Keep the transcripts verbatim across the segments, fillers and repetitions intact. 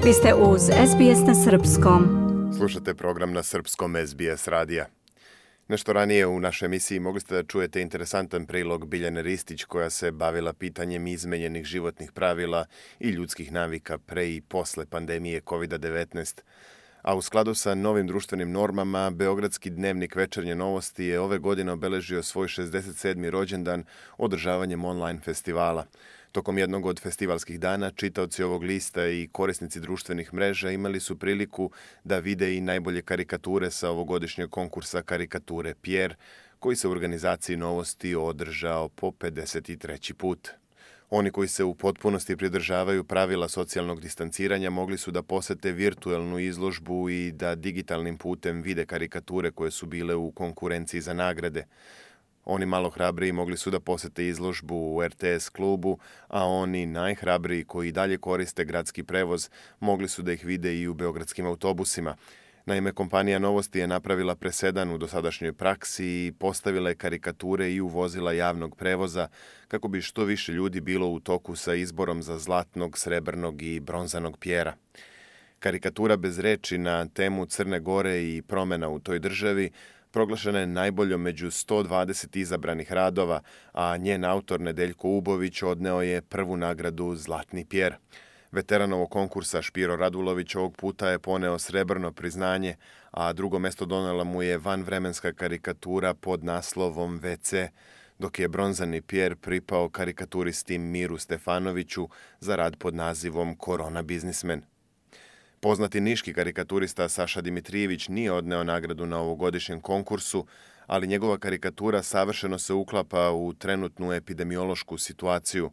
Vi ste uz S B S na srpskom. Slušate program na srpskom S B S radija. Nešto ranije u našoj emisiji mogli ste da čujete interesantan prilog Biljane Ristić koja se bavila pitanjem izmenjenih životnih pravila i ljudskih navika pre i posle pandemije kovid devetnaest. A u skladu sa novim društvenim normama, Beogradski dnevnik Večernje novosti je ove godine obeležio svoj šezdeset sedmi rođendan održavanjem online festivala. Tokom jednog od festivalskih dana, čitaoci ovog lista i korisnici društvenih mreža imali su priliku da vide i najbolje karikature sa ovogodišnjeg konkursa karikature Pierre, koji se u organizaciji novosti održao po pedeset treći put. Oni koji se u potpunosti pridržavaju pravila socijalnog distanciranja mogli su da posete virtuelnu izložbu i da digitalnim putem vide karikature koje su bile u konkurenciji za nagrade. Oni malo hrabriji mogli su da posete izložbu u R T S klubu, a oni najhrabriji koji dalje koriste gradski prevoz mogli su da ih vide i u beogradskim autobusima. Naime, kompanija Novosti je napravila presedan u dosadašnjoj praksi i postavila je karikature i u vozila javnog prevoza kako bi što više ljudi bilo u toku sa izborom za zlatnog, srebrnog i bronzanog Pjera. Karikatura bez reči na temu Crne Gore i promena u toj državi proglašena je najboljom među sto dvadeset izabranih radova, a njen autor Nedeljko Ubović odneo je prvu nagradu Zlatni Pjer. Veteran ovog konkursa Špiro Radulović ovog puta je poneo srebrno priznanje, a drugo mesto donela mu je vanvremenska karikatura pod naslovom V C, dok je bronzani Pjer pripao karikaturisti Miru Stefanoviću za rad pod nazivom Korona biznismen. Poznati niški karikaturista Saša Dimitrijević nije odneo nagradu na ovogodišnjem konkursu, ali njegova karikatura savršeno se uklapa u trenutnu epidemiološku situaciju.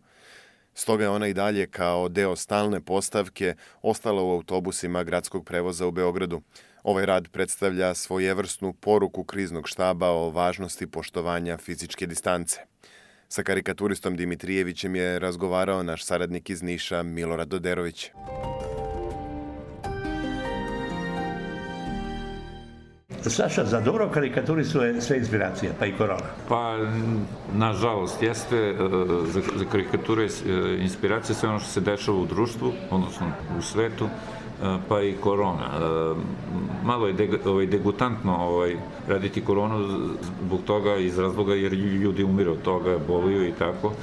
Stoga je ona i dalje kao deo stalne postavke ostala u autobusima gradskog prevoza u Beogradu. Ovaj rad predstavlja svojevrsnu poruku kriznog štaba o važnosti poštovanja fizičke distance. Sa karikaturistom Dimitrijevićem je razgovarao naš saradnik iz Niša Milorad Doderović. Saša, za dobro karikaturistu je sve inspiracija, pa i korona. Pa, nažalost, jeste za, za karikature inspiracija sve ono što se dešava u društvu, odnosno u svetu, pa i korona. Malo je deg, ovaj, degutantno ovaj, raditi koronu zbog toga, iz razloga jer ljudi umiru od toga, boluju i tako.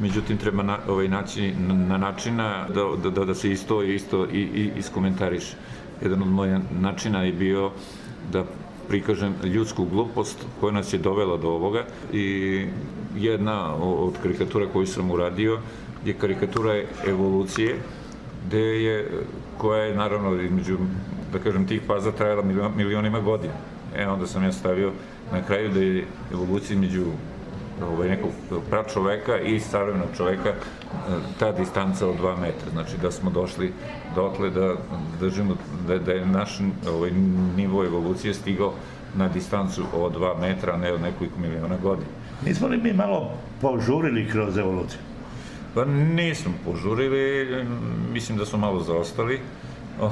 Međutim, treba na, ovaj, naći na načina da, da, da se isto, isto i, i iskomentariše. Jedan od mojih načina je bio da prikažem ljudsku glupost koja nas je dovela do ovoga i jedna od karikatura koju sam uradio je karikatura evolucije gde je, koja je naravno između, da kažem, tih faza trajala milionima godina. E, onda sam ja stavio na kraju da je evolucija između ovaj, nekog pračoveka i savremenog čoveka ta distanca od dva metra. Znači da smo došli dotle da držimo, da, da je naš ovaj, nivo evolucije stigao na distancu od dva metra, a ne od nekoliko miliona godina. Nismo li mi malo požurili kroz evoluciju? Pa nismo požurili, mislim da smo malo zaostali,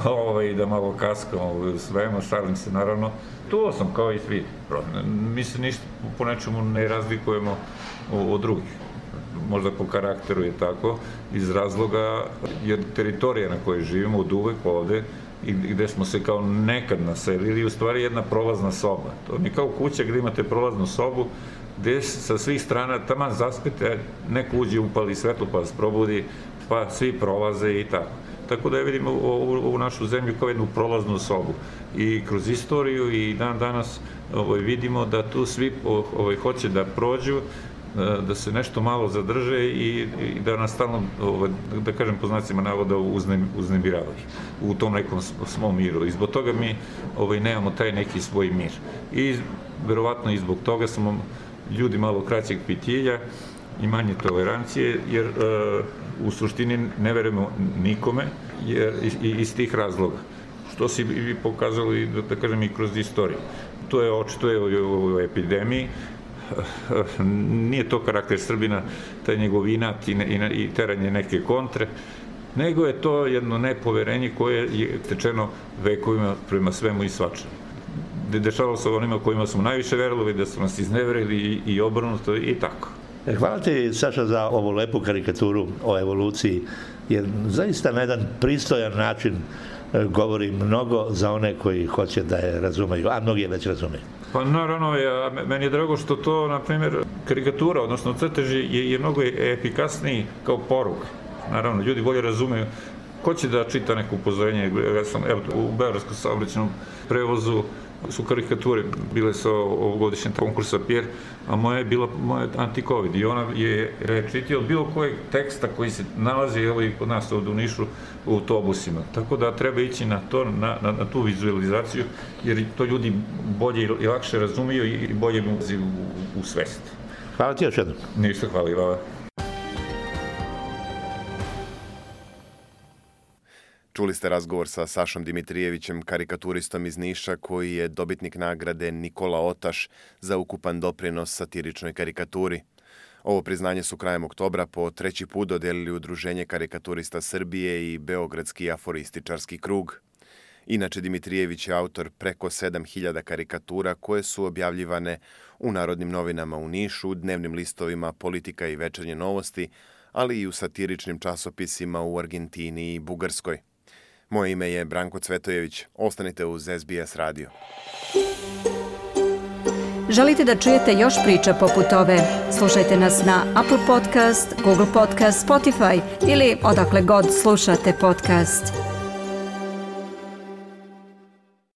ovaj, da malo kaskamo u svemu, šalim se naravno. To sam kao i svi. Mi se ništa po nečemu ne razlikujemo od drugih. Možda po karakteru je tako, iz razloga jer teritorija na kojoj živimo od uvek ovde i gde smo se kao nekad naselili, u stvari jedna prolazna soba. To je kao kuća gde imate prolaznu sobu, gde sa svih strana taman zaspete, neko uđe, upali svetlo pa vas probudi, pa svi prolaze i tako. Tako da je vidimo ovu našu zemlju kao jednu prolaznu sobu. I kroz istoriju i dan danas ovaj, vidimo da tu svi ovaj, hoće da prođu, da se nešto malo zadrže i, i da nas stalno, ovaj, da kažem po znacima navoda, uznemiravaju u tom nekom svom miru. I zbog toga mi ovaj, nemamo taj neki svoj mir. I verovatno i zbog toga smo ljudi malo kraćeg pitilja i manje tolerancije, jer uh, u suštini ne verujemo nikome, jer i iz tih razloga. Što si vi pokazali, da, da kažem, i kroz istoriju. To je očito je u epidemiji. Nije to karakter Srbina, taj njegov inat i, i, i teranje neke kontre, nego je to jedno nepoverenje koje je tečeno vekovima prema svemu i svačemu. Dešavalo se onima kojima smo najviše verovali, da su nas izneverili i, i obrnuto i tako. Hvala ti, Saša, za ovu lepu karikaturu o evoluciji jer zaista na jedan pristojan način govori mnogo za one koji hoće da je razumeju, a mnogi je već razumeju. Pa naravno, ja, meni je drago što to, na primjer, karikatura, odnosno crteži je, je mnogo efikasniji kao poruka. Naravno, ljudi bolje razumeju. Ko će da čita neko upozorenje? Ja sam, evo, u Beogradskom saobraćajnom prevozu su karikature, bile su ovogodišnje konkursa Pjer, a moja je bila moja anti-covid i ona je rečitila od bilo kojeg teksta koji se nalazi evo, i kod nas ovdje u Nišu u autobusima. Tako da treba ići na to, na, na, na tu vizualizaciju, jer to ljudi bolje i lakše razumiju i bolje mu ulazi u, u svest. Hvala ti još jednom. Ništa, hvala i vama. Čuli ste razgovor sa Sašom Dimitrijevićem, karikaturistom iz Niša, koji je dobitnik nagrade Nikola Otaš za ukupan doprinos satiričnoj karikaturi. Ovo priznanje su krajem oktobra po treći put dodelili Udruženje karikaturista Srbije i Beogradski aforističarski krug. Inače, Dimitrijević je autor preko sedam hiljada karikatura koje su objavljivane u Narodnim novinama u Nišu, dnevnim listovima Politika i Večernje novosti, ali i u satiričnim časopisima u Argentini i Bugarskoj. Moje ime je Branko Cvetojević. Ostanite uz S B S radio. Želite da čujete još priča poput ove? Slušajte nas na Apple Podcast, Google Podcast, Spotify ili odakle god slušate podcast.